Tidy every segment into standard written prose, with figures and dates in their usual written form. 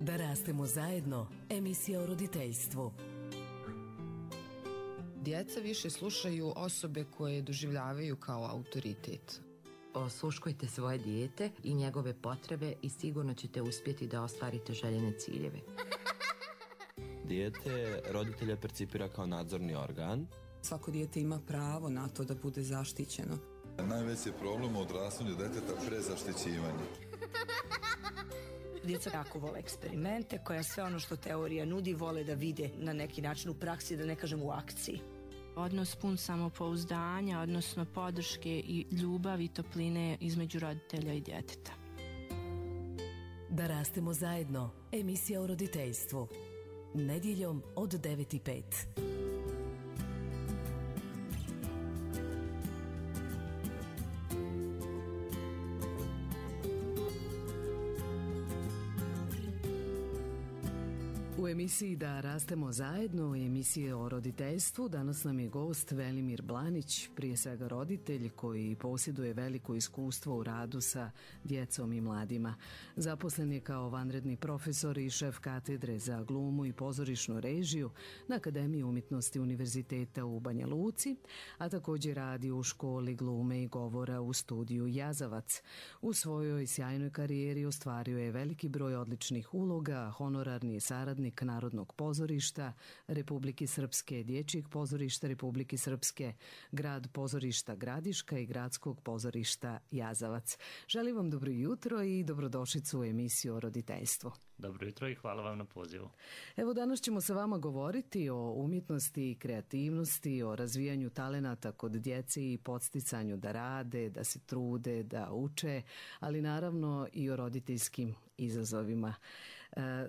Da rastemo zajedno, emisija o roditeljstvu. Djeca više slušaju osobe koje doživljavaju kao autoritet. Osluškujte svoje dijete i njegove potrebe i sigurno ćete uspjeti da ostvarite željene ciljeve. Dijete roditelja percipira kao nadzorni organ. Svako dijete ima pravo na to da bude zaštićeno. Najveći je problem u odrastanju djeteta prezaštićivanje. Djeca jako vole eksperimente, koja sve ono što teorija nudi vole da vide na neki način u praksi, da ne kažem u akciji. Odnos pun samopouzdanja, odnosno podrške i ljubavi i topline između roditelja i djeteta. Da rastemo zajedno, emisija o roditeljstvu. Nedjeljom od 9:05. U emisiji Da rastemo zajedno, u emisiji o roditeljstvu, danas nam je gost Velimir Blanić, prije svega roditelj koji posjeduje veliko iskustvo u radu sa djecom i mladima. Zaposlen je kao vanredni profesor i šef katedre za glumu i pozorišnu režiju na Akademiji umjetnosti Univerziteta u Banja Luci, a također radi u školi glume i govora u studiju Jazavac. U svojoj sjajnoj karijeri ostvario je veliki broj odličnih uloga, honorarni je saradnik Narodnog pozorišta Republike Srpske, Dječjeg pozorišta Republike Srpske, Grad pozorišta Gradiška i Gradskog pozorišta Jazavac. Želim vam dobro jutro i dobrodošlicu u emisiju o roditeljstvu. Dobro jutro i hvala vam na pozivu. Evo, danas ćemo sa vama govoriti o umjetnosti i kreativnosti, o razvijanju talenata kod djece i podsticanju da rade, da se trude, da uče, ali naravno i o roditeljskim izazovima.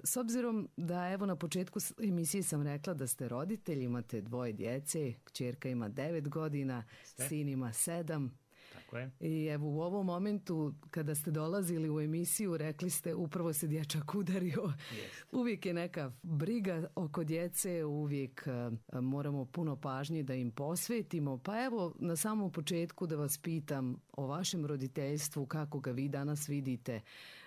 S obzirom da evo na početku emisije sam rekla da ste roditelj, imate 2 djece, kćerka ima 9 godina, sin ima 7. Tako je. I evo u ovom momentu kada ste dolazili u emisiju rekli ste upravo se dječak udario. Uvijek je neka briga oko djece, uvijek moramo puno pažnje da im posvetimo. Pa evo na samom početku da vas pitam o vašem roditeljstvu, kako ga vi danas vidite,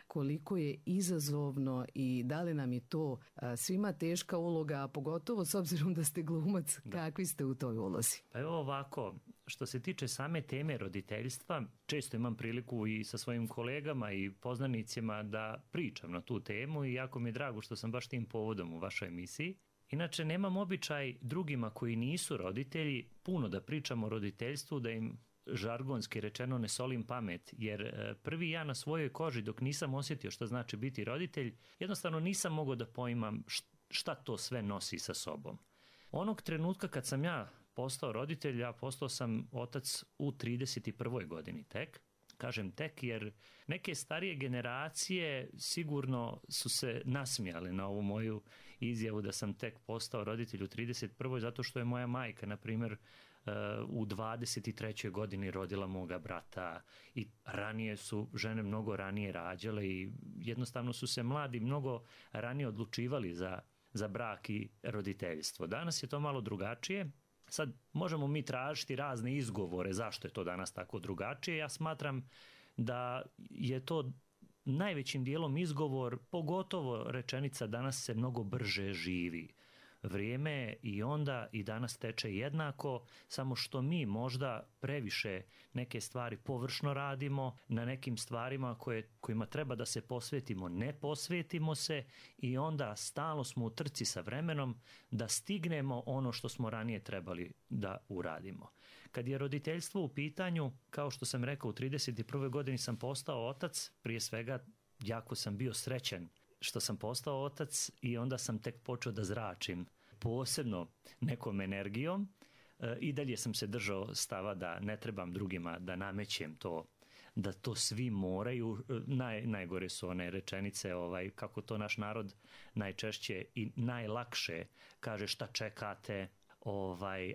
koliko je izazovno i da li nam je to svima teška uloga, a pogotovo s obzirom da ste glumac, kakvi ste u toj ulozi? Pa evo ovako, što se tiče same teme roditeljstva, često imam priliku i sa svojim kolegama i poznanicima da pričam na tu temu i jako mi je drago što sam baš tim povodom u vašoj emisiji. Inače, nemam običaj drugima koji nisu roditelji puno da pričam o roditeljstvu, da im žargonski rečeno ne solim pamet, jer prvi ja na svojoj koži dok nisam osjetio što znači biti roditelj, jednostavno nisam mogao da poimam šta to sve nosi sa sobom. Onog trenutka kad sam ja postao roditelj, ja postao sam otac u 31. godini tek. Kažem tek jer neke starije generacije sigurno su se nasmijale na ovu moju izjavu da sam tek postao roditelj u 31. zato što je moja majka, na primjer, u 23. godini rodila moga brata i ranije su žene mnogo ranije rađale i jednostavno su se mladi mnogo ranije odlučivali za brak i roditeljstvo. Danas je to malo drugačije. Sad možemo mi tražiti razne izgovore zašto je to danas tako drugačije. Ja smatram da je to najvećim dijelom izgovor, pogotovo rečenica danas se mnogo brže živi. Vrijeme i onda i danas teče jednako, samo što mi možda previše neke stvari površno radimo, na nekim stvarima kojima treba da se posvetimo, ne posvetimo se i onda stalno smo u trci sa vremenom da stignemo ono što smo ranije trebali da uradimo. Kad je roditeljstvo u pitanju, kao što sam rekao, u 31. godini sam postao otac, prije svega jako sam bio srećan što sam postao otac i onda sam tek počeo da zračim posebno nekom energijom. I dalje sam se držao stava da ne trebam drugima da namećem to, da to svi moraju. Najgore su one rečenice kako to naš narod najčešće i najlakše kaže šta čekate,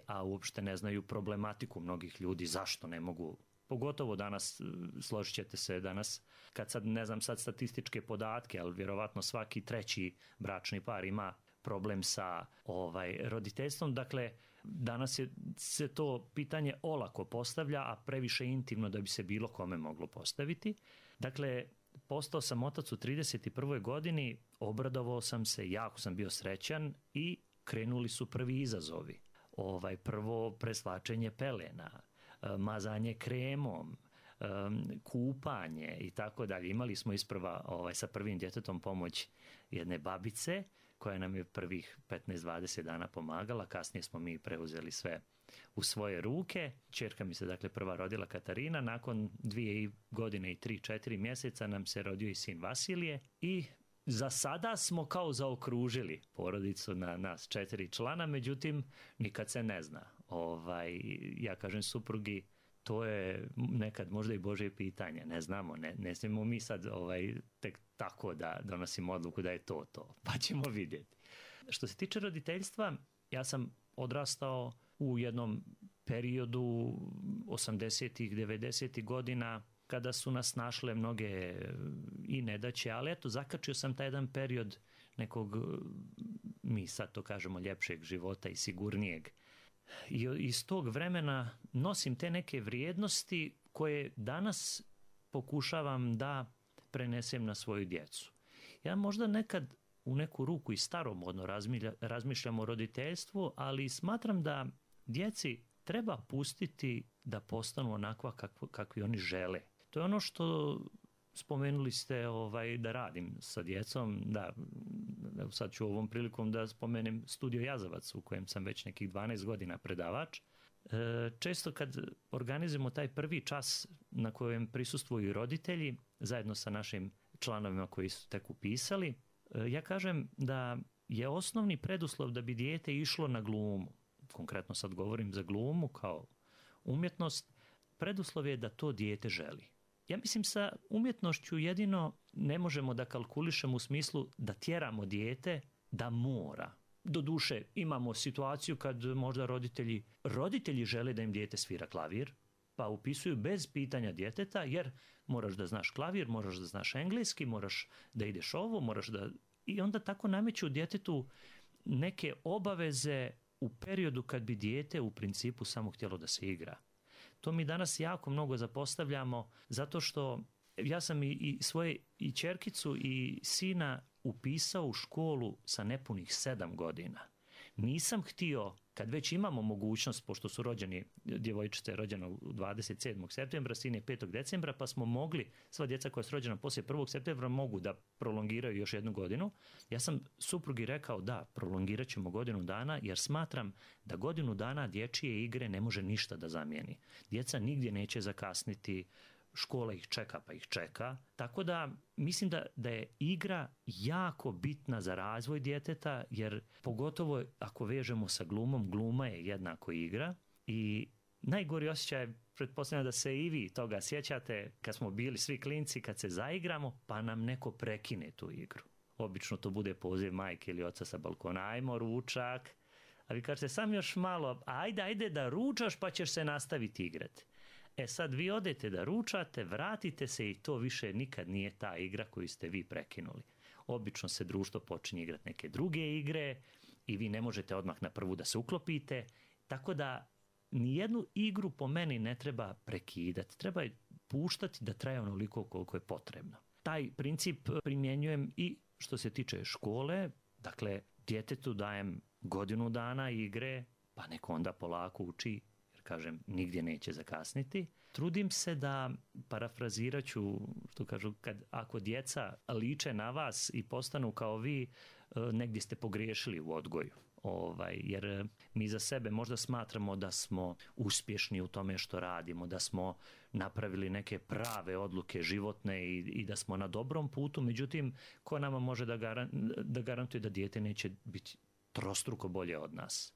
a uopšte ne znaju problematiku mnogih ljudi, zašto ne mogu. Pogotovo danas, složit ćete se danas, kad sad ne znam sad statističke podatke, ali vjerovatno svaki 3. bračni par ima problem sa roditeljstvom. Dakle, danas se to pitanje olako postavlja, a previše intimno da bi se bilo kome moglo postaviti. Dakle, postao sam otac u 31. godini, obradovao sam se, jako sam bio srećan i krenuli su prvi izazovi. Prvo preslačenje pelena, mazanje kremom, kupanje i tako dalje. Imali smo isprva sa prvim djetetom pomoć jedne babice koja nam je prvih 15-20 dana pomagala, kasnije smo mi preuzeli sve u svoje ruke. Ćerka mi se dakle prva rodila Katarina, nakon 2 godine i 3-4 mjeseca nam se rodio i sin Vasilije i za sada smo kao zaokružili porodicu na nas 4 člana, međutim nikad se ne zna. Ja kažem suprugi, to je nekad možda i Božje pitanje, ne znamo, ne smijemo mi sad tek tako da donosimo odluku da je to, pa ćemo vidjeti. Što se tiče roditeljstva, ja sam odrastao u jednom periodu 80-ih, 90-ih godina kada su nas našle mnoge i nedaće, ali eto, zakačio sam taj jedan period nekog, mi sad to kažemo, ljepšeg života i sigurnijeg. I iz tog vremena nosim te neke vrijednosti koje danas pokušavam da prenesem na svoju djecu. Ja možda nekad u neku ruku i staromodno razmišljam o roditeljstvu, ali smatram da djeci treba pustiti da postanu onakva kakvi oni žele. To je ono što spomenuli ste da radim sa djecom, da sad ću ovom prilikom da spomenem Studio Jazavac u kojem sam već nekih 12 godina predavač. Često kad organizujemo taj prvi čas na kojem prisustvuju roditelji zajedno sa našim članovima koji su tek upisali, ja kažem da je osnovni preduslov da bi dijete išlo na glumu, konkretno sad govorim za glumu kao umjetnost, preduslov je da to dijete želi. Ja mislim sa umjetnošću jedino ne možemo da kalkulišemo u smislu da tjeramo dijete da mora. Doduše, imamo situaciju kad možda roditelji žele da im dijete svira klavir, pa upisuju bez pitanja djeteta, jer moraš da znaš klavir, moraš da znaš engleski, moraš da ideš ovo, moraš da... I onda tako nameću djetetu neke obaveze u periodu kad bi dijete u principu samo htjelo da se igra. To mi danas jako mnogo zapostavljamo, zato što ja sam i svoje i ćerkicu i sina upisao u školu sa nepunih 7 godina. Nisam htio, kad već imamo mogućnost, pošto su rođeni, djevojčica je rođena 27. septembra, sin je 5. decembra, pa smo mogli, sva djeca koja su rođena poslije 1. septembra mogu da prolongiraju još 1 godinu. Ja sam suprugi rekao da, prolongirat ćemo 1 godinu dana, jer smatram da 1 godinu dana dječje igre ne može ništa da zamijeni. Djeca nigdje neće zakasniti, škola ih čeka pa ih čeka, tako da mislim da je igra jako bitna za razvoj djeteta, jer pogotovo ako vežemo sa glumom, gluma je jednako igra i najgori osjećaj, pretpostavljam da se i vi toga sjećate, kad smo bili svi klinci, kad se zaigramo pa nam neko prekine tu igru. Obično to bude poziv majke ili oca sa balkona, ajmo ručak, a vi kažete sam još malo, ajde da ručaš pa ćeš se nastaviti igrati. Sad vi odete da ručate, vratite se i to više nikad nije ta igra koju ste vi prekinuli. Obično se društvo počinje igrati neke druge igre i vi ne možete odmah na prvu da se uklopite, tako da nijednu igru po meni ne treba prekidati, treba je puštati da traje onoliko koliko je potrebno. Taj princip primjenjujem i što se tiče škole, dakle djetetu dajem 1 godinu dana igre, pa neko onda polako uči, kažem, nigdje neće zakasniti. Trudim se da, parafrazirat ću, što kažu, ako djeca liče na vas i postanu kao vi, negdje ste pogriješili u odgoju. Jer mi za sebe možda smatramo da smo uspješni u tome što radimo, da smo napravili neke prave odluke životne i da smo na dobrom putu, međutim, ko nama može da garantuje da dijete neće biti trostruko bolje od nas?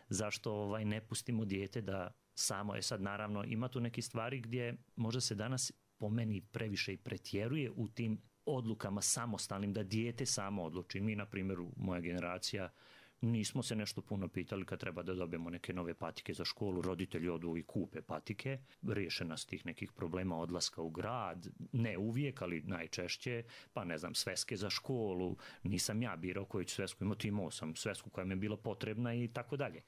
Zašto ne pustimo dijete da samo, sad naravno ima tu neki stvari gdje možda se danas po meni previše i pretjeruje u tim odlukama samostalnim, da dijete samo odluči. Mi, na primjer, moja generacija, nismo se nešto puno pitali kad treba da dobijemo neke nove patike za školu, roditelji odu i kupe patike, riješena s tih nekih problema odlaska u grad, ne uvijek, ali najčešće, pa ne znam, sveske za školu, nisam ja birao koju ću svesku imati, imao sam svesku koja mi je bila potrebna i tako dalje.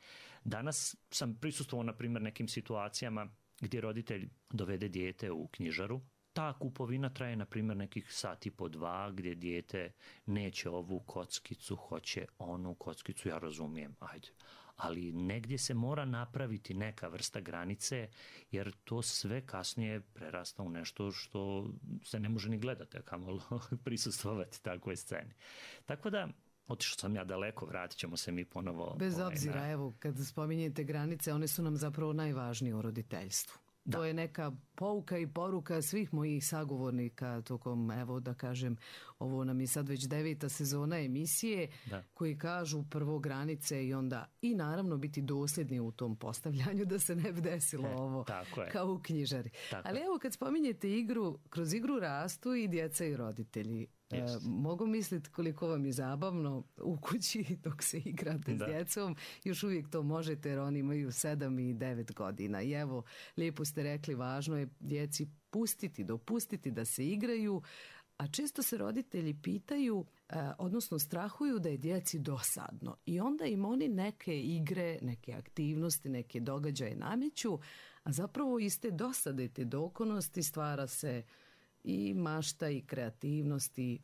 Danas sam prisustvovao, na primjer, nekim situacijama gdje roditelj dovede dijete u knjižaru, ta kupovina traje, na primjer, nekih sat i po 2, gdje dijete neće ovu kockicu, hoće onu kockicu, ja razumijem, ajde. Ali negdje se mora napraviti neka vrsta granice, jer to sve kasnije prerasta u nešto što se ne može ni gledati, a kamoli prisustvovati takvoj sceni. Tako da, otišao sam ja daleko, vratit ćemo se mi ponovo. Bez obzira, evo, kad spominjete granice, one su nam zapravo najvažnije u roditeljstvu. To je neka pouka i poruka svih mojih sagovornika tokom, evo da kažem, ovo nam je sad već 9. sezona emisije, koji kažu prvo granice i onda i naravno biti dosljedni u tom postavljanju da se ne bi desilo ovo kao u knjižari. Ali evo kad spominjete igru, kroz igru rastu i djeca i roditelji. Mogu misliti koliko vam je zabavno u kući dok se igrate s djecom, još uvijek to možete jer oni imaju 7 i 9 godina. I evo, lijepo ste rekli, važno je djeci dopustiti da se igraju, a često se roditelji pitaju, odnosno strahuju da je djeci dosadno. I onda im oni neke igre, neke aktivnosti, neke događaje nameću, a zapravo iz te dosade, te dokonosti stvara se i mašta i kreativnosti.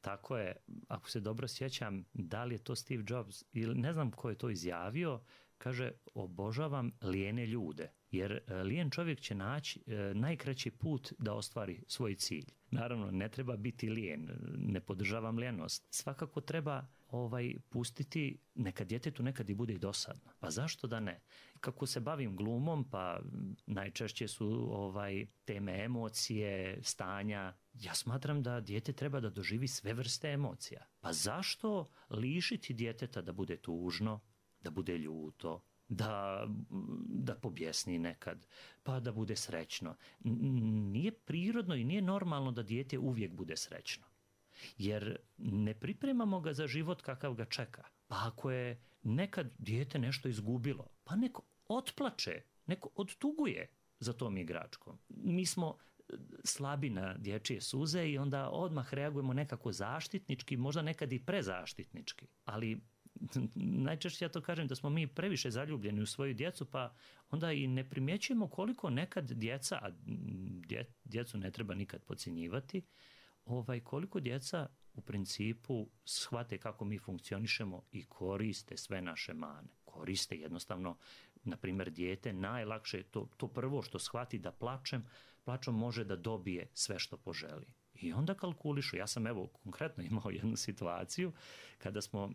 Tako je. Ako se dobro sjećam, da li je to Steve Jobs ili ne znam ko je to izjavio, kaže, obožavam lijene ljude, jer lijen čovjek će naći najkraći put da ostvari svoj cilj. Naravno, ne treba biti lijen, ne podržavam lijenost. Svakako treba pustiti, neka djetetu nekad i bude i dosadno. Pa zašto da ne? Kako se bavim glumom, pa najčešće su teme emocije, stanja. Ja smatram da dijete treba da doživi sve vrste emocija. Pa zašto lišiti djeteta da bude tužno, da bude ljuto, da pobjesni nekad, pa da bude srećno? Nije prirodno i nije normalno da dijete uvijek bude srećno. Jer ne pripremamo ga za život kakav ga čeka. Pa ako je nekad dijete nešto izgubilo, pa neko otplače, neko odtuguje za tom igračkom. Mi smo slabi na dječje suze i onda odmah reagujemo nekako zaštitnički, možda nekad i prezaštitnički. Ali najčešće ja to kažem da smo mi previše zaljubljeni u svoju djecu, pa onda i ne primjećujemo koliko nekad djeca, a djecu ne treba nikad podcjenjivati, koliko djeca u principu shvate kako mi funkcionišemo i koriste sve naše mane. Koriste jednostavno, na primjer, dijete najlakše, to prvo što shvati da plačom može da dobije sve što poželi. I onda kalkulišu. Ja sam konkretno imao jednu situaciju kada smo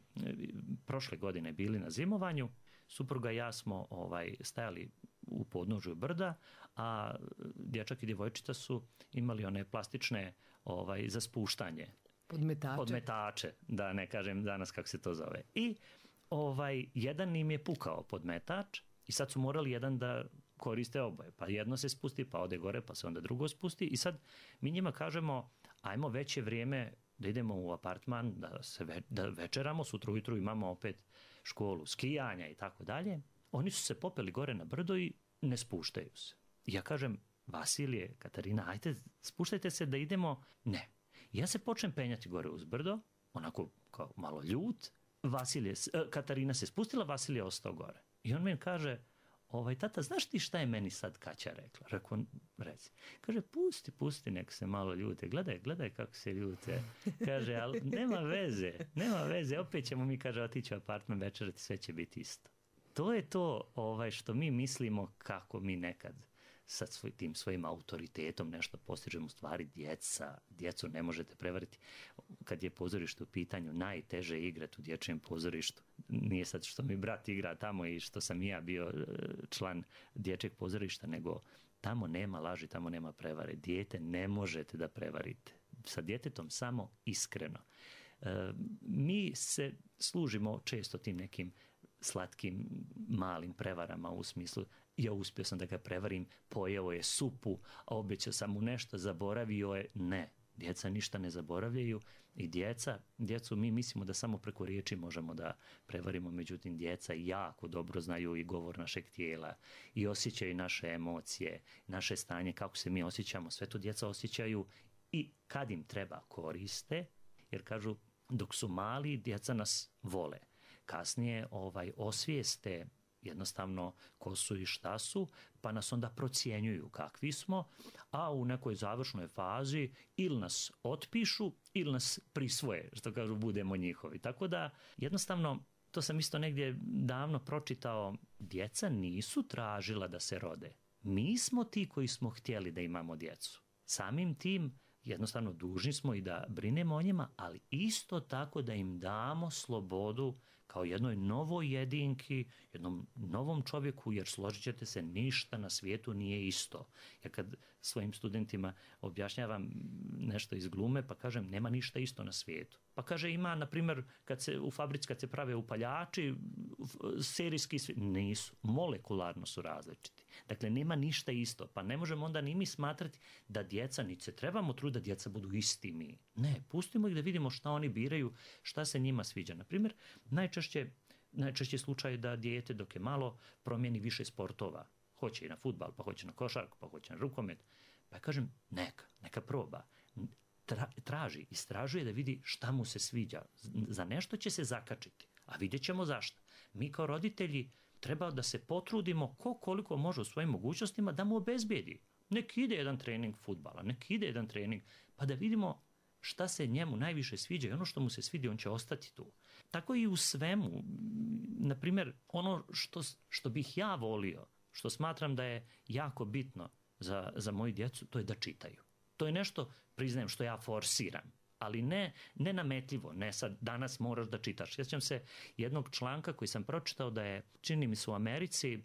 prošle godine bili na zimovanju, supruga i ja smo stajali u podnožju brda, a dječak i djevojčica su imali one plastične za spuštanje. Podmetače, da ne kažem danas kako se to zove. I jedan im je pukao podmetač i sad su morali jedan da koriste oboje. Pa jedno se spusti, pa ode gore, pa se onda drugo spusti i sad mi njima kažemo, ajmo već je vrijeme da idemo u apartman, da večeramo, sutra ujutru imamo opet školu skijanja i tako dalje. Oni su se popeli gore na brdo i ne spuštaju se. Ja kažem, Vasilije, Katarina, ajte, spuštajte se da idemo. Ne. Ja se počnem penjati gore uz brdo, onako kao malo ljut. Katarina se spustila, Vasilije ostao gore. I on meni kaže, tata, znaš ti šta je meni sad Kaća rekla? Rekao, reci. Kaže, pusti, nek se malo ljute. Gledaj kako se ljute. Kaže, ali nema veze. Opet ćemo mi, kaže, otići u apartman večerati, sve će biti isto. To je to što mi mislimo kako mi nekad sa tim svojim autoritetom nešto postižemo. U stvari djecu ne možete prevariti. Kad je pozorište u pitanju, najteže je igrati u dječjem pozorištu. Nije sad što mi brat igra tamo i što sam i ja bio član dječjeg pozorišta, nego tamo nema laži, tamo nema prevare. Dijete ne možete da prevarite. Sa djetetom samo iskreno. Mi se služimo često tim nekim slatkim malim prevarama u smislu, ja uspio sam da ga prevarim, pojeo je supu, a obećao sam mu nešto, zaboravio je. Ne, djeca ništa ne zaboravljaju i djecu mi mislimo da samo preko riječi možemo da prevarimo, međutim djeca jako dobro znaju i govor našeg tijela i osjećaju naše emocije, naše stanje, kako se mi osjećamo, sve to djeca osjećaju i kad im treba koriste, jer kažu dok su mali djeca nas vole. Kasnije osvijeste jednostavno ko su i šta su, pa nas onda procjenjuju kakvi smo, a u nekoj završnoj fazi ili nas otpišu ili nas prisvoje, što kažu, budemo njihovi. Tako da jednostavno, to sam isto negdje davno pročitao, djeca nisu tražila da se rode. Mi smo ti koji smo htjeli da imamo djecu. Samim tim jednostavno dužni smo i da brinemo o njima, ali isto tako da im damo slobodu kao jednoj novoj jedinki, jednom novom čovjeku, jer složit ćete se, ništa na svijetu nije isto. Ja kad svojim studentima objašnjavam nešto iz glume, pa kažem nema ništa isto na svijetu. Pa kaže ima, na primjer, u fabrici kad se prave upaljači, serijski nisu, molekularno su različiti. Dakle, nema ništa isto, pa ne možemo onda ni mi smatrati da djeca, niti se trebamo truditi da djeca budu isti mi. Ne, pustimo ih da vidimo šta oni biraju, šta se njima sviđa. Na primjer, najčešće slučaj je da dijete dok je malo promijeni više sportova. Hoće i na fudbal, pa hoće na košarku, pa hoće na rukomet. Pa kažem, neka proba. Istražuje da vidi šta mu se sviđa. Za nešto će se zakačiti, a vidjet ćemo zašto. Mi kao roditelji treba da se potrudimo koliko može u svojim mogućnostima da mu obezbijedi. Nek ide jedan trening fudbala, nek ide jedan trening, pa da vidimo šta se njemu najviše sviđa i ono što mu se svidi, on će ostati tu. Tako i u svemu. Naprimjer, ono što bih ja volio, što smatram da je jako bitno za moju djecu, to je da čitaju. To je nešto, priznajem, što ja forsiram, ali ne nametljivo, ne sad danas moraš da čitaš. Sjećam se jednog članka koji sam pročitao da je, čini mi se u Americi,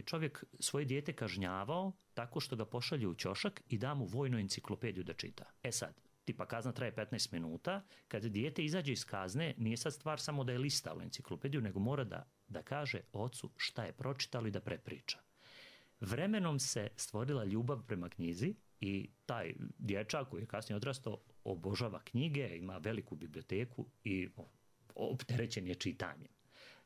čovjek svoje dijete kažnjavao tako što ga pošalje u ćošak i da mu vojnu enciklopediju da čita. Sad, tipa kazna traje 15 minuta, kad dijete izađe iz kazne, nije sad stvar samo da je listalo enciklopediju, nego mora da kaže ocu šta je pročitalo i da prepriča. Vremenom se stvorila ljubav prema knjizi i taj dječak koji je kasnije odrastao obožava knjige, ima veliku biblioteku i opterećen je čitanjem.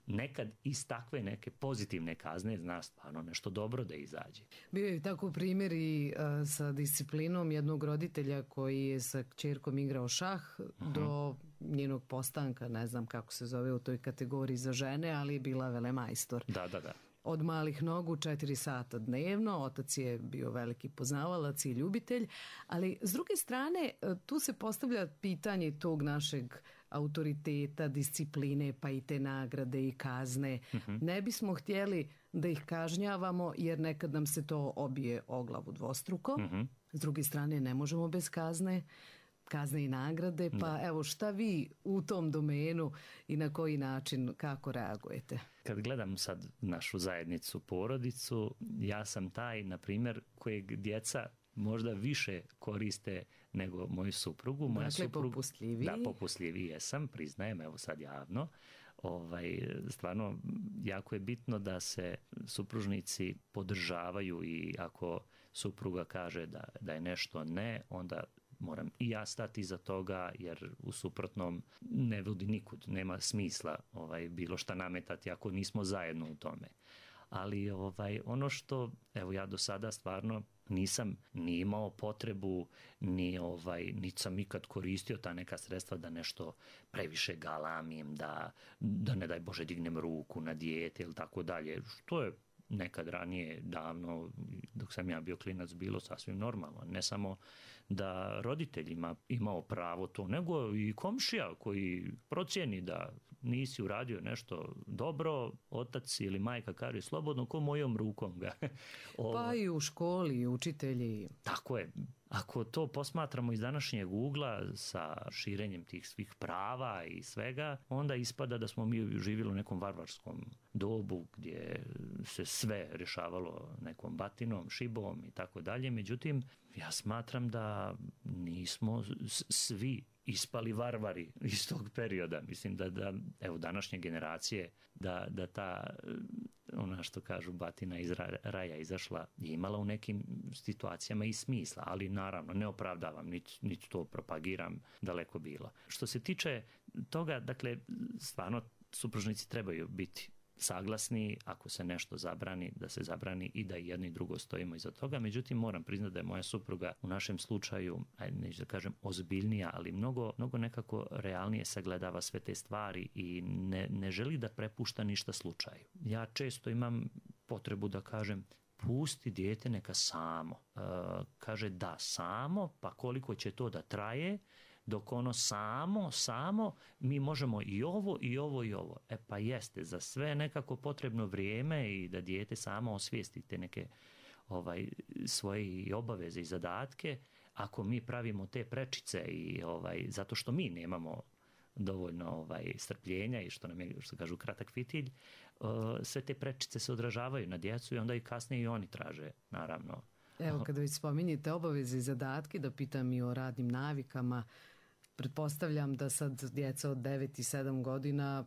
Nekad iz takve neke pozitivne kazne zna stvarno nešto dobro da izađe. Bio je tako primjer i sa disciplinom jednog roditelja koji je sa kćerkom igrao šah do njenog postanka, ne znam kako se zove u toj kategoriji za žene, ali je bila velemajstor. Da. Od malih nogu 4 sata dnevno, otac je bio veliki poznavalac i ljubitelj, ali s druge strane tu se postavlja pitanje tog našeg autoriteta, discipline, pa i te nagrade i kazne. Ne bismo htjeli da ih kažnjavamo jer nekad nam se to obije o glavu dvostruko. S druge strane ne možemo bez kazne i nagrade, pa evo šta vi u tom domenu i na koji način, kako reagujete? Kad gledam sad našu zajednicu, porodicu, ja sam taj, na primjer, kojeg djeca možda više koriste nego moju suprugu. Dakle, popustljiviji. Da, popustljiviji jesam, priznajem, evo sad javno. Stvarno, jako je bitno da se supružnici podržavaju i ako supruga kaže da je nešto ne, onda moram i ja stati iza toga, jer u suprotnom ne vodi nikud, nema smisla bilo šta nametati ako nismo zajedno u tome. Ali ono što, evo ja do sada stvarno nisam ni imao potrebu, niti sam ikad koristio ta neka sredstva da nešto previše galamim, da ne daj Bože dignem ruku na dijete ili tako dalje, što je nekad ranije, davno, dok sam ja bio klinac, bilo sasvim normalno. Ne samo da roditelj imao pravo to, nego i komšija koji procijeni da nisi uradio nešto dobro, otac ili majka kaže slobodno ko mojom rukom ga. Pa i u školi, učitelji. Tako je. Ako to posmatramo iz današnjeg ugla sa širenjem tih svih prava i svega, onda ispada da smo mi živjeli u nekom varvarskom dobu gdje se sve rješavalo nekom batinom, šibom i tako dalje. Međutim, ja smatram da nismo svi ispali varvari iz tog perioda. Mislim da evo današnje generacije, da ta, ona što kažu batina iz raja izašla, je imala u nekim situacijama i smisla, ali naravno ne opravdavam, niti to propagiram, daleko bilo. Što se tiče toga, dakle, stvarno supružnici trebaju biti saglasni, ako se nešto zabrani, da se zabrani i da i jedno i drugo stojimo iza toga. Međutim, moram priznati da je moja supruga u našem slučaju, neću da kažem ozbiljnija, ali mnogo nekako realnije sagledava sve te stvari i ne želi da prepušta ništa slučaju. Ja često imam potrebu da kažem, pusti dijete neka samo. Kaže da samo, pa koliko će to da traje, dok ono samo, mi možemo i ovo, i ovo, i ovo. Pa jeste, za sve nekako potrebno vrijeme i da dijete samo osvijesti te neke svoje obaveze i zadatke. Ako mi pravimo te prečice i zato što mi nemamo dovoljno strpljenja i što nam je, što kažu, kratak fitilj, sve te prečice se odražavaju na djecu i onda i kasnije i oni traže, naravno. Evo, kada već spominjete obaveze i zadatke, da pitam i o radnim navikama, pretpostavljam da sad djeca od 9 i 7 godina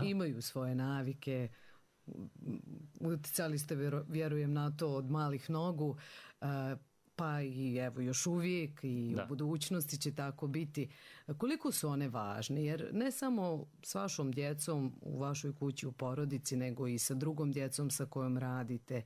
imaju svoje navike, uticali ste, vjerujem, na to od malih nogu, pa i evo još uvijek i u budućnosti će tako biti. Koliko su one važne? Jer ne samo s vašom djecom u vašoj kući, u porodici, nego i sa drugom djecom sa kojom radite.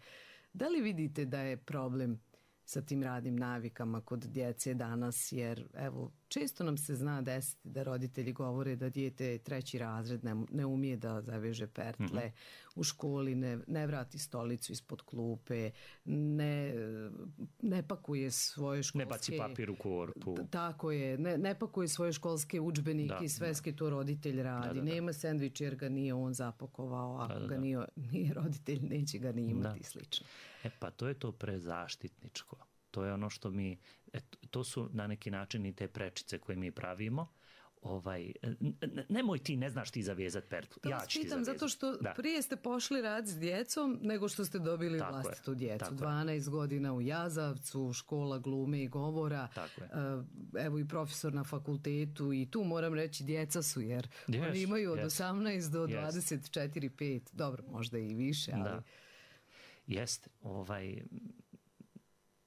Da li vidite da je problem sa tim radnim navikama kod djece danas? Jer evo, često nam se zna desiti da roditelji govore da dijete 3. razred ne umije da zaveže pertle, u školi ne vrati stolicu ispod klupe, ne pakuje svoje školske... Ne baci papir u korpu. Tako je, ne pakuje svoje školske udžbenike i sveske, to roditelj radi. Nema sendvič jer ga nije on zapakovao, ako ga nije roditelj, neće ga ni imati slično. Pa to je to prezaštitničko. To je ono što mi, to su na neki način i te prečice koje mi pravimo. Nemoj ti, ne znaš ti zavezati pertlu. Ja ću ti zavezati. Zato što prije ste pošli raditi s djecom nego što ste dobili vlastitu djecu. 12 godina u Jazavcu, škola glume i govora. Evo i profesor na fakultetu i tu moram reći djeca su, jer oni imaju od 18 do 24-5. Dobro, možda i više, ali... Jeste,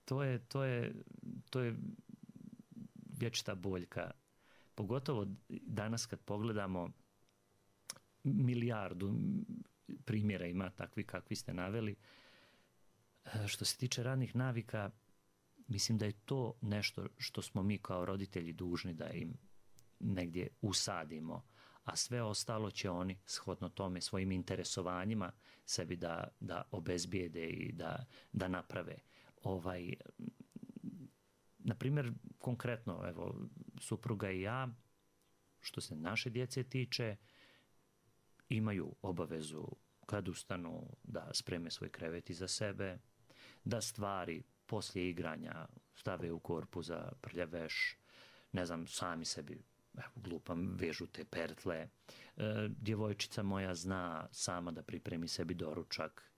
to je vječita boljka. Pogotovo danas kad pogledamo, milijardu primjera ima takvi kakvi ste naveli. Što se tiče radnih navika, mislim da je to nešto što smo mi kao roditelji dužni da im negdje usadimo, a sve ostalo će oni shodno tome svojim interesovanjima sebi da obezbijede i da naprave. Na primjer, konkretno, evo, supruga i ja, što se naše djece tiče, imaju obavezu kad ustanu da spreme svoj krevet iza sebe, da stvari poslije igranja stave u korpu za prljav veš, ne znam, sami sebi, glupam, vežu te pertle. Djevojčica moja zna sama da pripremi sebi doručak.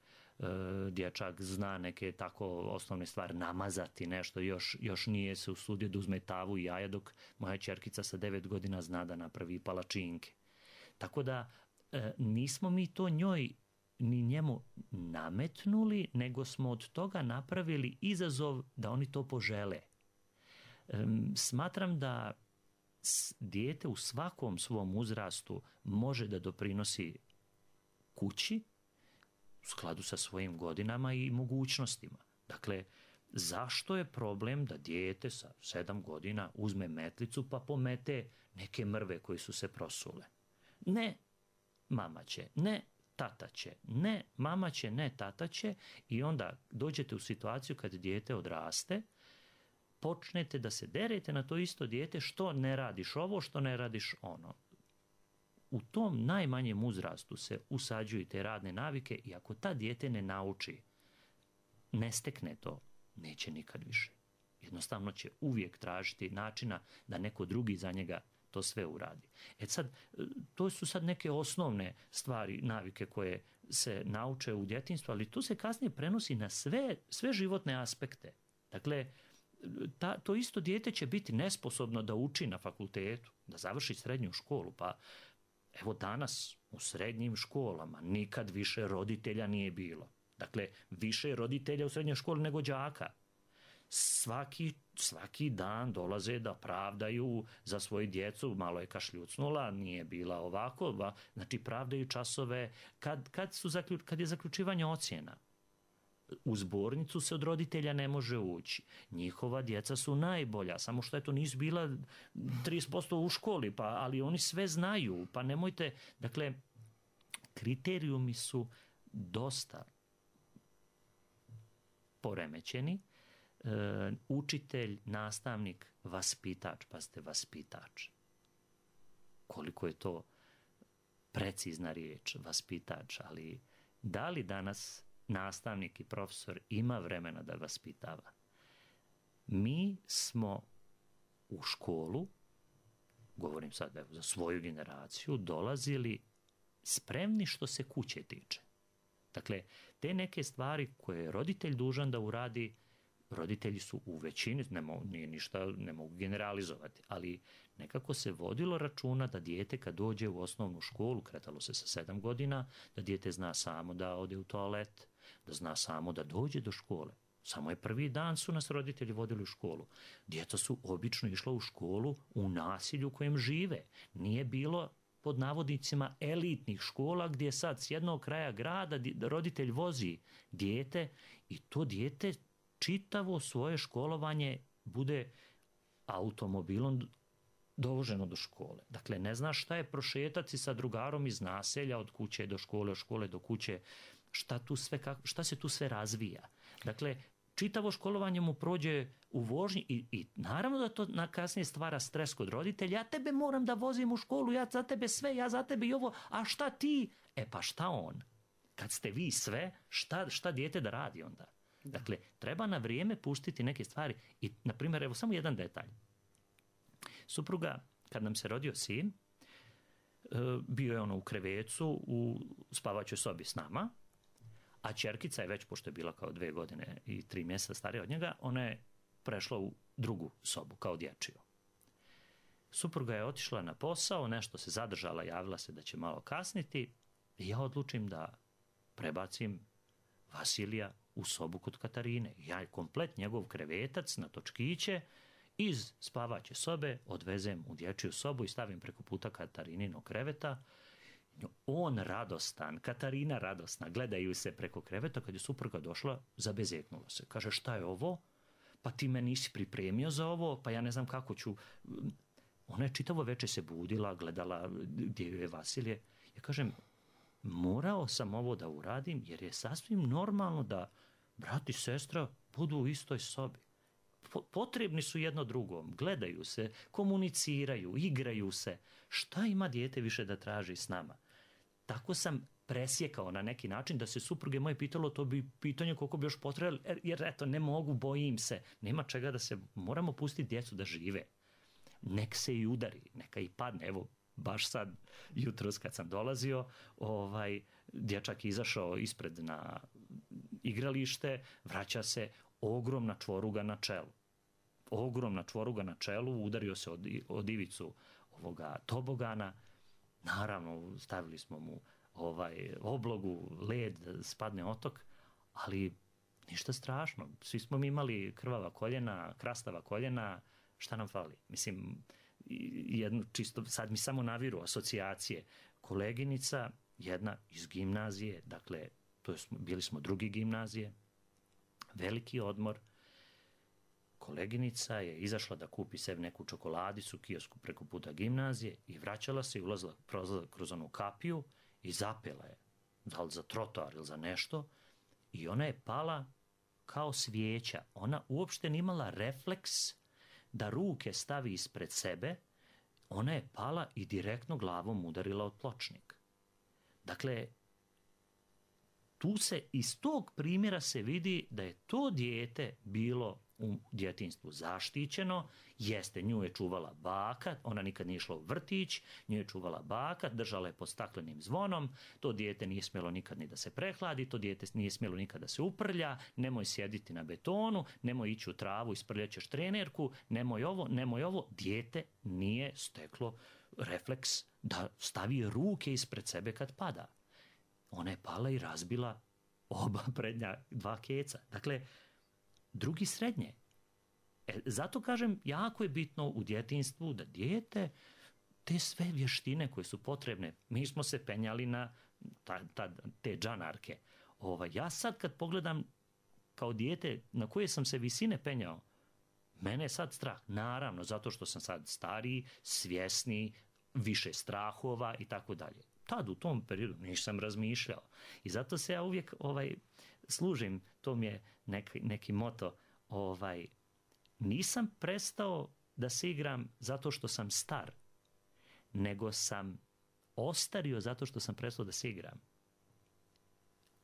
Dječak zna neke tako osnovne stvari, namazati nešto, još nije se usudio da uzme tavu i jaja, dok moja ćerkica sa 9 godina zna da napravi palačinke. Tako da nismo mi to njoj ni njemu nametnuli, nego smo od toga napravili izazov da oni to požele. Smatram da dijete u svakom svom uzrastu može da doprinosi kući u skladu sa svojim godinama i mogućnostima. Dakle, zašto je problem da dijete sa 7 godina uzme metlicu pa pomete neke mrve koje su se prosule? Ne, mama će, ne, tata će, ne, mama će, ne, tata će, i onda dođete u situaciju kad dijete odraste, počnete da se derete na to isto dijete, što ne radiš ovo, što ne radiš ono. U tom najmanjem uzrastu se usađuju te radne navike i ako ta dijete ne nauči, ne stekne to, neće nikad više. Jednostavno će uvijek tražiti načina da neko drugi za njega to sve uradi. Sad, to su sad neke osnovne stvari, navike koje se nauče u djetinjstvu, ali to se kasnije prenosi na sve životne aspekte. Dakle, to isto dijete će biti nesposobno da uči na fakultetu, da završi srednju školu, pa evo danas u srednjim školama nikad više roditelja nije bilo. Dakle, više roditelja u srednjoj školi nego đaka. svaki dan dolaze da pravdaju za svoju djecu, malo je kašljucnula, nije bila ovako, znači pravdaju časove, kad je zaključivanje ocjena. U zbornicu se od roditelja ne može ući. Njihova djeca su najbolja, samo što eto nisu bila 30% u školi, ali oni sve znaju, pa nemojte, dakle, kriterijumi su dosta poremećeni. Učitelj, nastavnik, vaspitač, pa ste vaspitač. Koliko je to precizna riječ, vaspitač, ali da li danas nastavnik i profesor ima vremena da vaspitava? Mi smo u školu, govorim sad za svoju generaciju, dolazili spremni što se kuće tiče. Dakle, te neke stvari koje je roditelj dužan da uradi, roditelji su u većini, ne mogu generalizovati, ali nekako se vodilo računa da dijete kad dođe u osnovnu školu, kretalo se sa 7 godina, da dijete zna samo da ode u toalet, da zna samo da dođe do škole. Samo je prvi dan su nas roditelji vodili u školu. Djeca su obično išla u školu u nasilju u kojem žive. Nije bilo pod navodnicima elitnih škola gdje sad s jednog kraja grada roditelj vozi dijete i to dijete čitavo svoje školovanje bude automobilom dovoženo do škole. Dakle, ne zna šta je prošetati sa drugarom iz naselja od kuće do škole, od škole do kuće, šta se tu sve razvija. Dakle, čitavo školovanje mu prođe u vožnji i naravno da to kasnije stvara stres kod roditelja. Ja tebe moram da vozim u školu, ja za tebe sve, ja za tebe i ovo, a šta ti? Pa šta on? Kad ste vi sve, šta dijete da radi onda? Dakle, treba na vrijeme pustiti neke stvari i, na primjer, evo samo jedan detalj. Supruga, kad nam se rodio sin, bio je ono u krevecu u spavaćoj sobi s nama, a ćerkica je već, pošto je bila kao 2 godine i 3 mjeseca starija od njega, ona je prešla u drugu sobu, kao dječju. Supruga je otišla na posao, nešto se zadržala, javila se da će malo kasniti i ja odlučim da prebacim Vasilija u sobu kod Katarine. Ja komplet njegov krevetac na točkiće iz spavaće sobe odvezem u dječju sobu i stavim preko puta Katariниnog kreveta. On radostan, Katarina radosna, gledaju se preko kreveta. Kad je supruga došla, zabezeknula se. Kaže, šta je ovo? Pa ti me nisi pripremio za ovo, pa ja ne znam kako ću. Ona je čitavo večer se budila, gledala gdje je Vasilije. Ja kažem, morao sam ovo da uradim jer je sasvim normalno da brat i sestra budu u istoj sobi. Potrebni su jedno drugom, gledaju se, komuniciraju, igraju se. Šta ima dijete više da traži s nama? Tako sam presjekao na neki način da se supruge moje pitalo, to bi pitanje koliko bi još potrebalo, jer eto, ne mogu, bojim se. Nema čega da se, moramo pustiti djecu da žive. Nek se i udari, neka i padne. Evo, baš sad, jutros kad sam dolazio, dječak izašao ispred na igralište, vraća se, ogromna čvoruga na čelu. Ogromna čvoruga na čelu, udario se od ivicu ovoga tobogana. Naravno, stavili smo mu oblogu, led, spadne otok, ali ništa strašno. Svi smo mi imali krvava koljena, krastava koljena, šta nam fali? Mislim, jedno čisto, sad mi samo naviru asocijacije. Koleginica, jedna iz gimnazije, dakle, bili smo drugi gimnazije, veliki odmor, koleginica je izašla da kupi sebi neku čokoladicu u kiosku preko puta gimnazije i vraćala se i ulazila kroz onu kapiju i zapela je, da li za trotoar ili za nešto, i ona je pala kao svijeća. Ona uopšte nije imala refleks da ruke stavi ispred sebe, ona je pala i direktno glavom udarila od pločnik. Dakle, tu se iz tog primjera se vidi da je to dijete bilo u djetinjstvu zaštićeno, jeste, nju je čuvala baka, ona nikad nije išla u vrtić, nju je čuvala baka, držala je pod staklenim zvonom, to dijete nije smjelo nikad ni da se prehladi, to dijete nije smjelo nikad da se uprlja, nemoj sjediti na betonu, nemoj ići u travu, isprljaćeš trenerku, nemoj ovo, dijete nije steklo refleks da stavi ruke ispred sebe kad pada. Ona je pala i razbila oba prednja 2 keca. Dakle, drugi srednje. Zato kažem, jako je bitno u djetinjstvu da dijete te sve vještine koje su potrebne, mi smo se penjali na te džanarke. Ja sad kad pogledam kao dijete na koje sam se visine penjao, mene je sad strah. Naravno, zato što sam sad stariji, svjesni, više strahova i tako dalje. Tad u tom periodu nisam razmišljao. I zato se ja uvijek služim, to mi je neki moto, nisam prestao da se igram zato što sam star, nego sam ostario zato što sam prestao da se igram.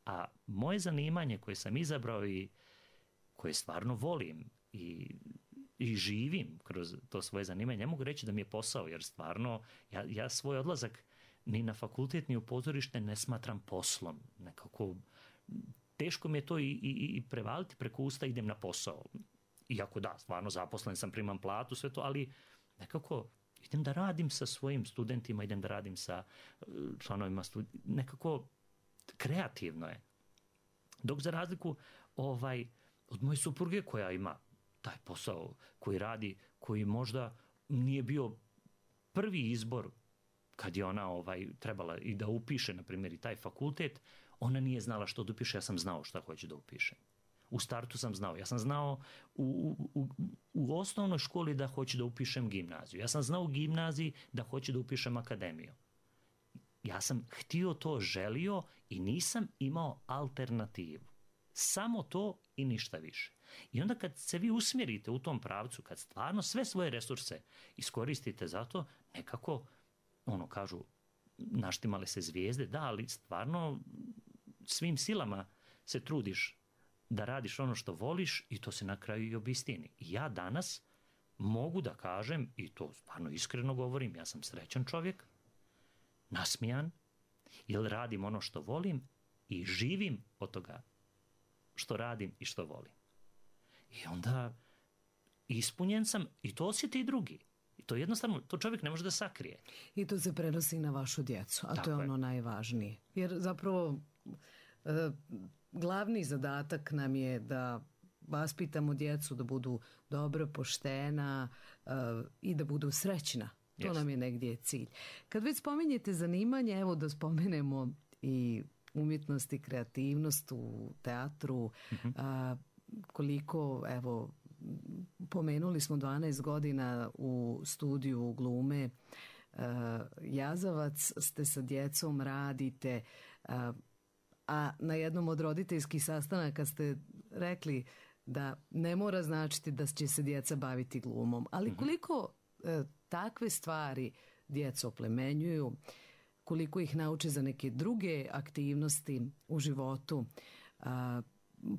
A moje zanimanje koje sam izabrao i koje stvarno volim i živim kroz to svoje zanimanje, ne mogu reći da mi je posao, jer stvarno ja svoj odlazak ni na fakultet ni u pozorište ne smatram poslom. Nekako teško mi je to i prevaliti preko usta, idem na posao. Iako da, stvarno zaposlen sam, primam platu, sve to, ali nekako idem da radim sa svojim studentima, idem da radim sa članovima nekako kreativno je. Dok za razliku od moje supruge koja ima taj posao koji radi, koji možda nije bio prvi izbor kad je ona trebala i da upiše, na primjer, i taj fakultet, ona nije znala što da upiše, ja sam znao šta hoće da upiše. U startu sam znao. Ja sam znao u osnovnoj školi da hoću da upišem gimnaziju. Ja sam znao u gimnaziji da hoću da upišem akademiju. Ja sam htio to, želio i nisam imao alternativu. Samo to i ništa više. I onda kad se vi usmjerite u tom pravcu, kad stvarno sve svoje resurse iskoristite za to, nekako, kažu, naštimale se zvijezde, da, ali stvarno svim silama se trudiš da radiš ono što voliš i to se na kraju i obistini. I ja danas mogu da kažem, i to stvarno iskreno govorim, ja sam srećan čovjek, nasmijan, jer radim ono što volim i živim od toga što radim i što volim. I onda ispunjen sam i to osjeti i drugi. I to jednostavno, to čovjek ne može da sakrije. I to se prenosi na vašu djecu, a to je ono najvažnije. Jer zapravo glavni zadatak nam je da vaspitamo djecu da budu dobro, poštena i da budu srećna. To nam je negdje cilj. Kad već spominjete zanimanje, evo da spomenemo i umjetnost i kreativnost u teatru, koliko, evo, pomenuli smo 12 godina u studiju glume Jazavac, ste sa djecom, radite, a na jednom od roditeljskih sastanaka ste rekli da ne mora značiti da će se djeca baviti glumom, ali koliko takve stvari djeca oplemenjuju, koliko ih nauče za neke druge aktivnosti u životu.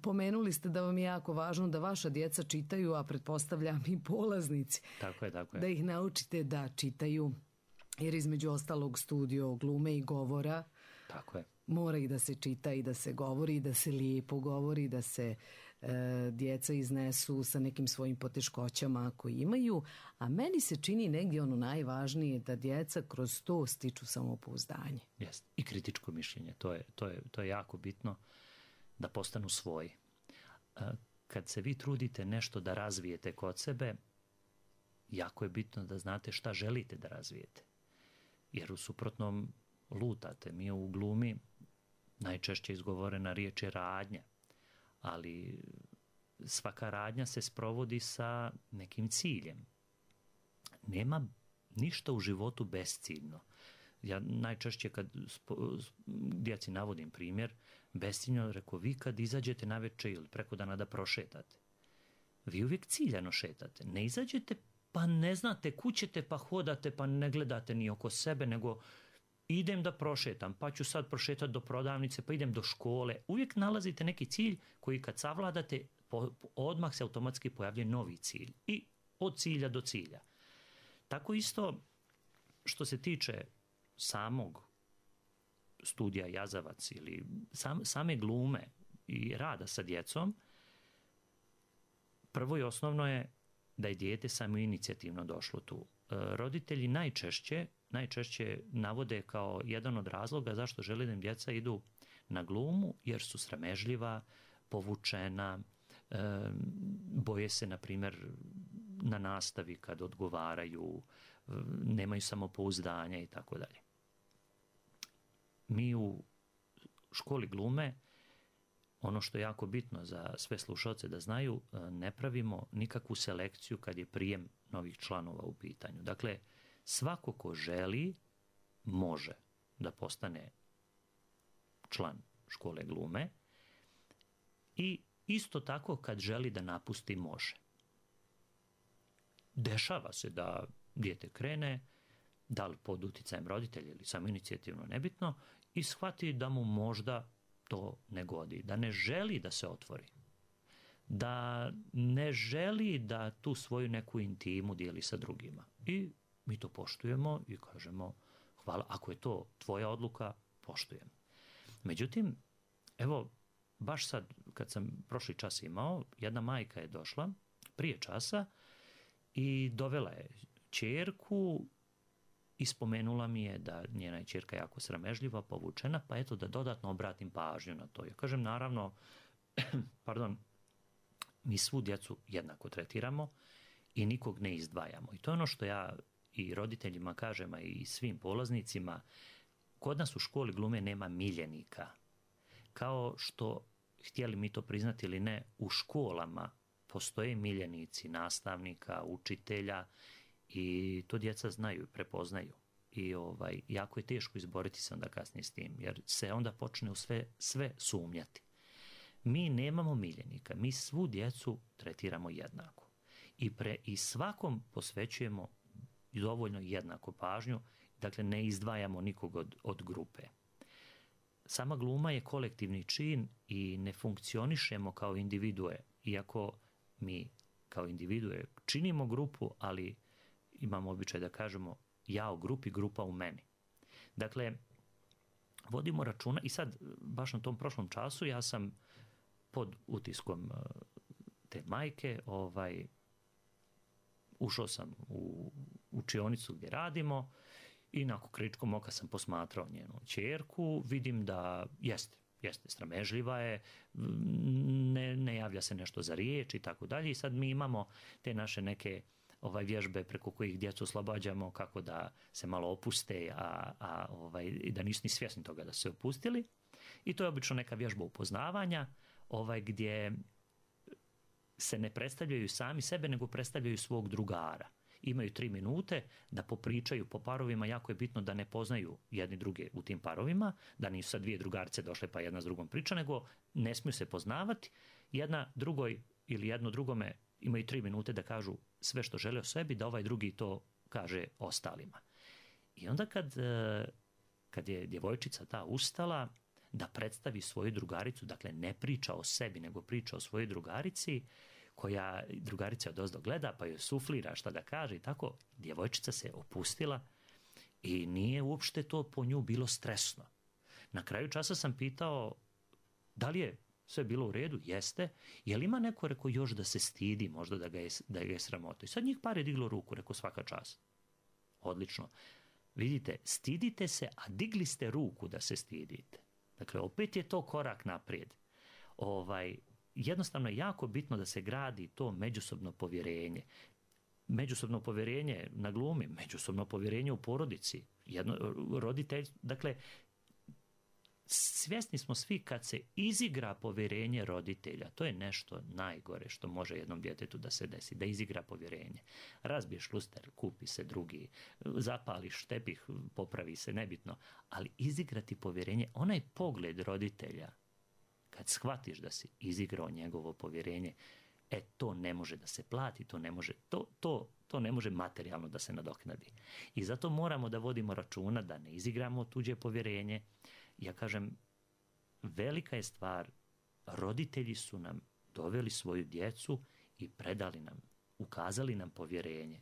Pomenuli ste da vam je jako važno da vaša djeca čitaju, a pretpostavljam i polaznici. Tako je. Da ih naučite da čitaju, jer između ostalog studio glume i govora. Tako je. Mora i da se čita i da se govori i da se lijepo govori, da se djeca iznesu sa nekim svojim poteškoćama koji imaju, a meni se čini negdje ono najvažnije da djeca kroz to stiču samopouzdanje. Jest. I kritičko mišljenje, to je jako bitno da postanu svoji. Kad se vi trudite nešto da razvijete kod sebe, jako je bitno da znate šta želite da razvijete. Jer u suprotnom lutate. Mi u glumi najčešće izgovorena riječ je radnja, ali svaka radnja se sprovodi sa nekim ciljem. Nema ništa u životu besciljno. Ja najčešće kad djeci navodim primjer, besciljno rekao, vi kad izađete navečer ili preko dana da prošetate, vi uvijek ciljano šetate. Ne izađete pa ne znate kućete pa hodate pa ne gledate ni oko sebe, nego idem da prošetam, pa ću sad prošetati do prodavnice, pa idem do škole. Uvijek nalazite neki cilj koji kad savladate, odmah se automatski pojavlja novi cilj. I od cilja do cilja. Tako isto što se tiče samog studija Jazavac ili same glume i rada sa djecom, prvo i osnovno je da je dijete samoinicijativno došlo tu. Roditelji najčešće navode kao jedan od razloga zašto žele da im djeca idu na glumu, jer su sramežljiva, povučena, boje se, na primjer, na nastavi kad odgovaraju, nemaju samopouzdanja i tako dalje. Mi u školi glume, ono što je jako bitno za sve slušalce da znaju, ne pravimo nikakvu selekciju kad je prijem novih članova u pitanju. Dakle, svako ko želi može da postane član škole glume i isto tako kad želi da napusti može. Dešava se da dijete krene, da li pod uticajem roditelja ili samoinicijativno, nebitno, i shvati da mu možda to ne godi, da ne želi da se otvori, da ne želi da tu svoju neku intimu dijeli sa drugima. I mi to poštujemo i kažemo hvala, ako je to tvoja odluka, poštujem. Međutim, evo, baš sad, kad sam prošli čas imao, jedna majka je došla prije časa i dovela je ćerku i spomenula mi je da njena je ćerka jako sramežljiva, povučena, pa eto da dodatno obratim pažnju na to. Ja kažem, naravno, mi svu djecu jednako tretiramo i nikog ne izdvajamo. I to je ono što ja i roditeljima kažem, a i svim polaznicima, kod nas u školi glume nema miljenika. Kao što, htjeli mi to priznati ili ne, u školama postoje miljenici nastavnika, učitelja i to djeca znaju, prepoznaju. I jako je teško izboriti se onda kasnije s tim, jer se onda počne u sve sumnjati. Mi nemamo miljenika, mi svu djecu tretiramo jednako. I svakom posvećujemo dovoljno jednako pažnju, dakle ne izdvajamo nikog od grupe. Sama gluma je kolektivni čin i ne funkcionišemo kao individue, iako mi kao individue činimo grupu, ali imamo običaj da kažemo ja u grupi, grupa u meni. Dakle, vodimo računa i sad, baš na tom prošlom času, ja sam pod utiskom te majke, ušao sam u učionicu gdje radimo i nakon kričkom oka sam posmatrao njenu ćerku, vidim da jeste sramežljiva je, ne javlja se nešto za riječ i tako dalje. I sad mi imamo te naše neke vježbe preko kojih djecu oslobađamo kako da se malo opuste, i da nisu ni svjesni toga da su se opustili. I to je obično neka vježba upoznavanja, gdje se ne predstavljaju sami sebe, nego predstavljaju svog drugara. Imaju 3 minute da popričaju po parovima, jako je bitno da ne poznaju jedni druge u tim parovima, da nisu sad 2 drugarice došle pa jedna s drugom priča, nego ne smiju se poznavati, jedna drugoj ili jedno drugome imaju 3 minute da kažu sve što žele o sebi, da ovaj drugi to kaže ostalima. I onda kad je djevojčica ta ustala da predstavi svoju drugaricu, dakle ne priča o sebi, nego priča o svojoj drugarici, koja drugarica odozdo gleda, pa joj suflira šta da kaže i tako, djevojčica se opustila i nije uopšte to po nju bilo stresno. Na kraju časa sam pitao da li je sve bilo u redu, jeste, je li ima neko, rekao, još da se stidi, možda da ga je sramota. I sad njih par je diglo ruku, rekao, svaka čast. Odlično. Vidite, stidite se, a digli ste ruku da se stidite. Dakle, opet je to korak naprijed. Jednostavno je jako bitno da se gradi to međusobno povjerenje. Međusobno povjerenje na glumi, međusobno povjerenje u porodici, roditelj, dakle, svjesni smo svi kad se izigra povjerenje roditelja, to je nešto najgore što može jednom djetetu da se desi, da izigra povjerenje. Razbiješ luster, kupi se drugi, zapališ tepih, popravi se, nebitno, ali izigrati povjerenje, onaj pogled roditelja, kad shvatiš da si izigrao njegovo povjerenje, to ne može da se plati, to ne može materijalno da se nadoknadi. I zato moramo da vodimo računa da ne izigramo tuđe povjerenje. Ja kažem, velika je stvar, roditelji su nam doveli svoju djecu i predali nam, ukazali nam povjerenje.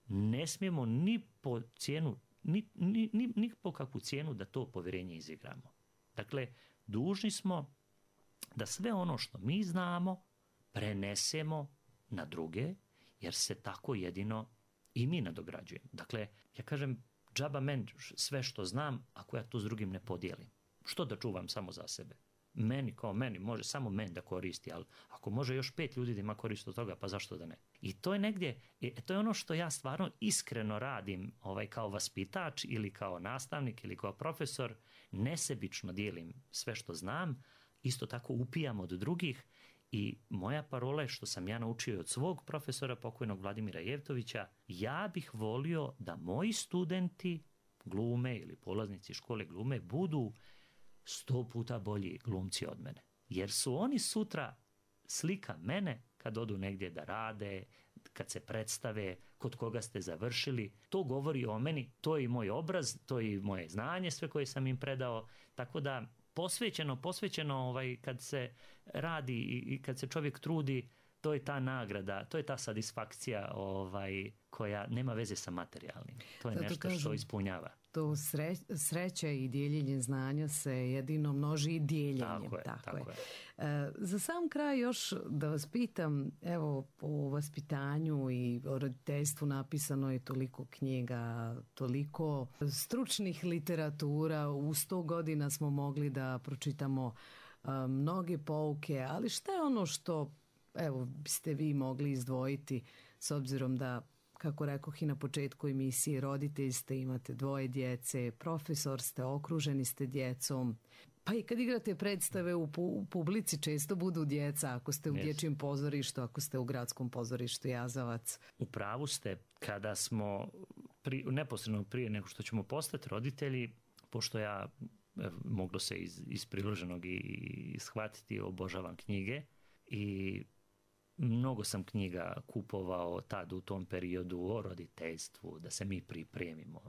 Ne smijemo ni po cijenu, ni po kakvu cijenu da to povjerenje izigramo. Dakle, dužni smo da sve ono što mi znamo prenesemo na druge, jer se tako jedino i mi nadograđujemo. Dakle, ja kažem, džaba men sve što znam ako ja to s drugim ne podijelim. Što da čuvam samo za sebe? meni, može samo meni da koristi, ali ako može još 5 ljudi da ima korist od toga, pa zašto da ne? I to je negdje, to je ono što ja stvarno iskreno radim kao vaspitač ili kao nastavnik ili kao profesor, nesebično dijelim sve što znam, isto tako upijam od drugih i moja parola je što sam ja naučio od svog profesora, pokojnog Vladimira Jevtovića, ja bih volio da moji studenti glume ili polaznici škole glume budu 100 puta bolji glumci od mene. Jer su oni sutra slika mene kad odu negdje da rade, kad se predstave, kod koga ste završili. To govori o meni, to je i moj obraz, to je i moje znanje, sve koje sam im predao. Tako da posvećeno kad se radi i kad se čovjek trudi, to je ta nagrada, to je ta satisfakcija koja nema veze sa materijalnim. To je nešto što ispunjava. To sreća i dijeljenje znanja se jedino množi i dijeljenjem. Tako je. Za sam kraj još da vas pitam, evo o vaspitanju i o roditeljstvu napisano je toliko knjiga, toliko stručnih literatura, u 100 godina smo mogli da pročitamo mnoge pouke, ali šta je ono što biste vi mogli izdvojiti s obzirom da, kako rekoh i na početku emisije, roditelj ste, imate 2 djece, profesor ste, okruženi ste djecom, pa i kad igrate predstave u publici često budu djeca, ako ste u dječjem pozorištu, ako ste u gradskom pozorištu Jazavac. U pravu ste, kada smo neposredno prije nego što ćemo postati roditelji, pošto ja moglo se iz priloženog i shvatiti, obožavam knjige i mnogo sam knjiga kupovao tad u tom periodu o roditeljstvu, da se mi pripremimo.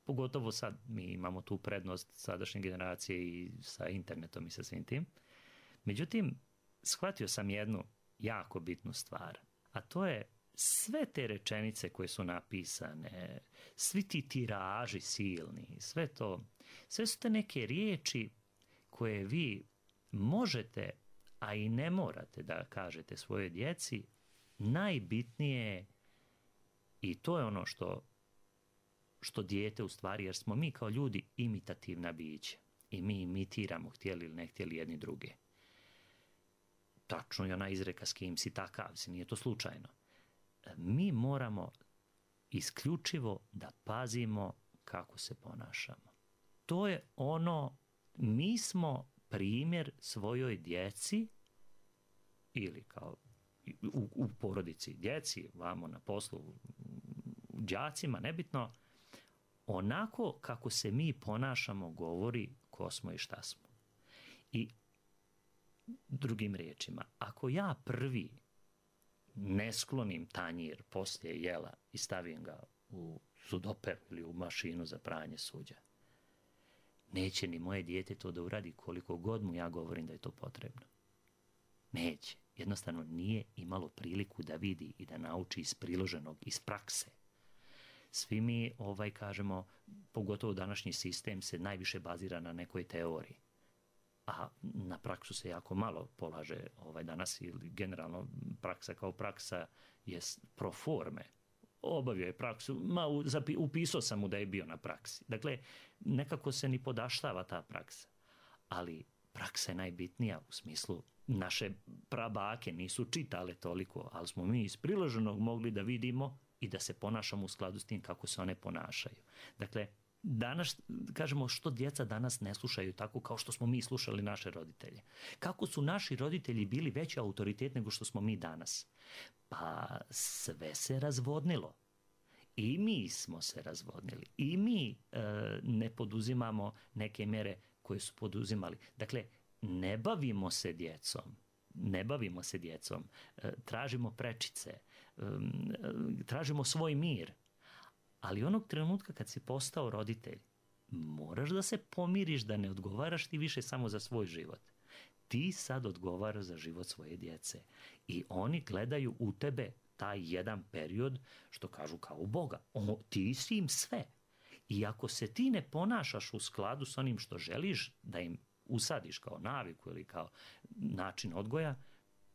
Pogotovo sad mi imamo tu prednost sadašnje generacije i sa internetom i sa svim tim. Međutim, shvatio sam jednu jako bitnu stvar, a to je sve te rečenice koje su napisane, svi ti tiraži silni, sve su te neke riječi koje vi možete, a i ne morate da kažete svojoj djeci, najbitnije, i to je ono što dijete u stvari, jer smo mi kao ljudi imitativna bića i mi imitiramo, htjeli ili ne htjeli, jedni druge. Tačno je ona izreka s kim si takav si, nije to slučajno. Mi moramo isključivo da pazimo kako se ponašamo. To je ono, mi smo primjer svojoj djeci ili kao u porodici djeci, vamo na poslu, đacima, nebitno, onako kako se mi ponašamo govori ko smo i šta smo. I drugim riječima, ako ja prvi ne sklonim tanjir poslije jela i stavim ga u sudoper ili u mašinu za pranje suđa, neće ni moje dijete to da uradi koliko god mu ja govorim da je to potrebno. Neće. Jednostavno nije imalo priliku da vidi i da nauči iz priloženog, iz prakse. Svi mi, kažemo, pogotovo današnji sistem se najviše bazira na nekoj teoriji. A na praksu se jako malo polaže danas, ili generalno praksa kao praksa je pro forme. Obavio je praksu, upisao sam mu da je bio na praksi. Dakle, nekako se ni podaštava ta praksa. Ali praksa je najbitnija u smislu, naše prabake nisu čitale toliko, ali smo mi iz priloženog mogli da vidimo i da se ponašamo u skladu s tim kako se one ponašaju. Dakle, danas, kažemo, što djeca danas ne slušaju tako kao što smo mi slušali naše roditelje. Kako su naši roditelji bili veći autoritet nego što smo mi danas? Pa sve se razvodnilo. I mi smo se razvodnili. I mi ne poduzimamo neke mjere koje su poduzimali. Dakle, ne bavimo se djecom. Tražimo prečice. Tražimo svoj mir. Ali onog trenutka kad si postao roditelj, moraš da se pomiriš, da ne odgovaraš ti više samo za svoj život. Ti sad odgovaraš za život svoje djece. I oni gledaju u tebe taj jedan period, što kažu, kao u Boga. Ti si im sve. I ako se ti ne ponašaš u skladu s onim što želiš da im usadiš kao naviku ili kao način odgoja,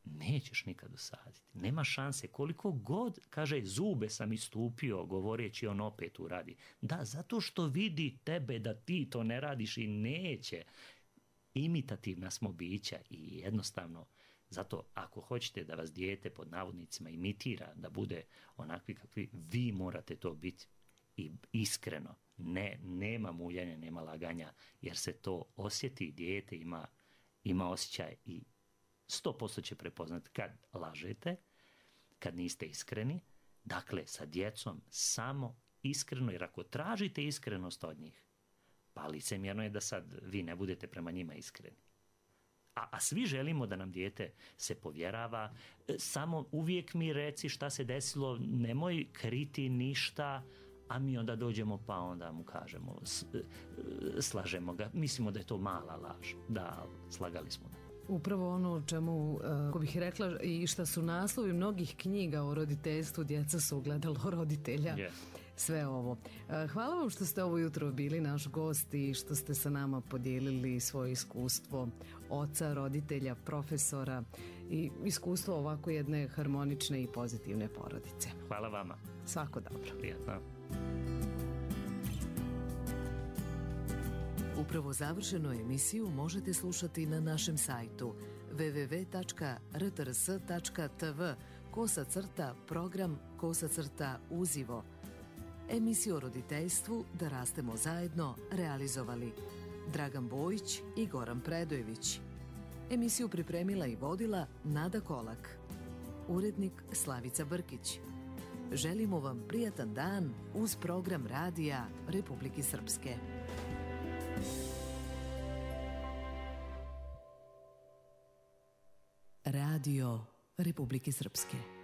nećeš nikad usaditi. Nema šanse. Koliko god, kaže, zube sam istupio govoreći, on opet uradi. Da, zato što vidi tebe da ti to ne radiš i neće. imitativna smo bića i jednostavno zato ako hoćete da vas dijete pod navodnicima imitira, da bude onakvi kakvi, vi morate to biti i iskreno. Nema muljanja, nema laganja, jer se to osjeti, dijete ima osjećaj i 100% će prepoznati kad lažete, kad niste iskreni. Dakle, sa djecom samo iskreno, jer ako tražite iskrenost od njih, pa licemjerno je da sad vi ne budete prema njima iskreni. A svi želimo da nam dijete se povjerava, samo uvijek mi reci šta se desilo, nemoj kriti ništa, a mi onda dođemo pa onda mu kažemo, slažemo ga, mislimo da je to mala laž, da, slagali smo ga. Upravo ono o čemu, ko bih rekla, i šta su naslovi mnogih knjiga o roditeljstvu, djeca su ogledalo roditelja. Yeah. Sve ovo. Hvala vam što ste ovo jutro bili naš gost i što ste sa nama podijelili svoje iskustvo oca, roditelja, profesora i iskustvo ovako jedne harmonične i pozitivne porodice. Hvala vama. Svako dobro. Prijatno. Upravo završenu emisiju možete slušati na našem sajtu www.rtrs.tv/program/uzivo. Emisiju o roditeljstvu Da rastemo zajedno realizovali Dragan Bojić i Goran Predojević. Emisiju pripremila i vodila Nada Kolak. Urednik Slavica Brkić. Želimo vam prijatan dan uz program Radija Republike Srpske. Radio Republike Srpske.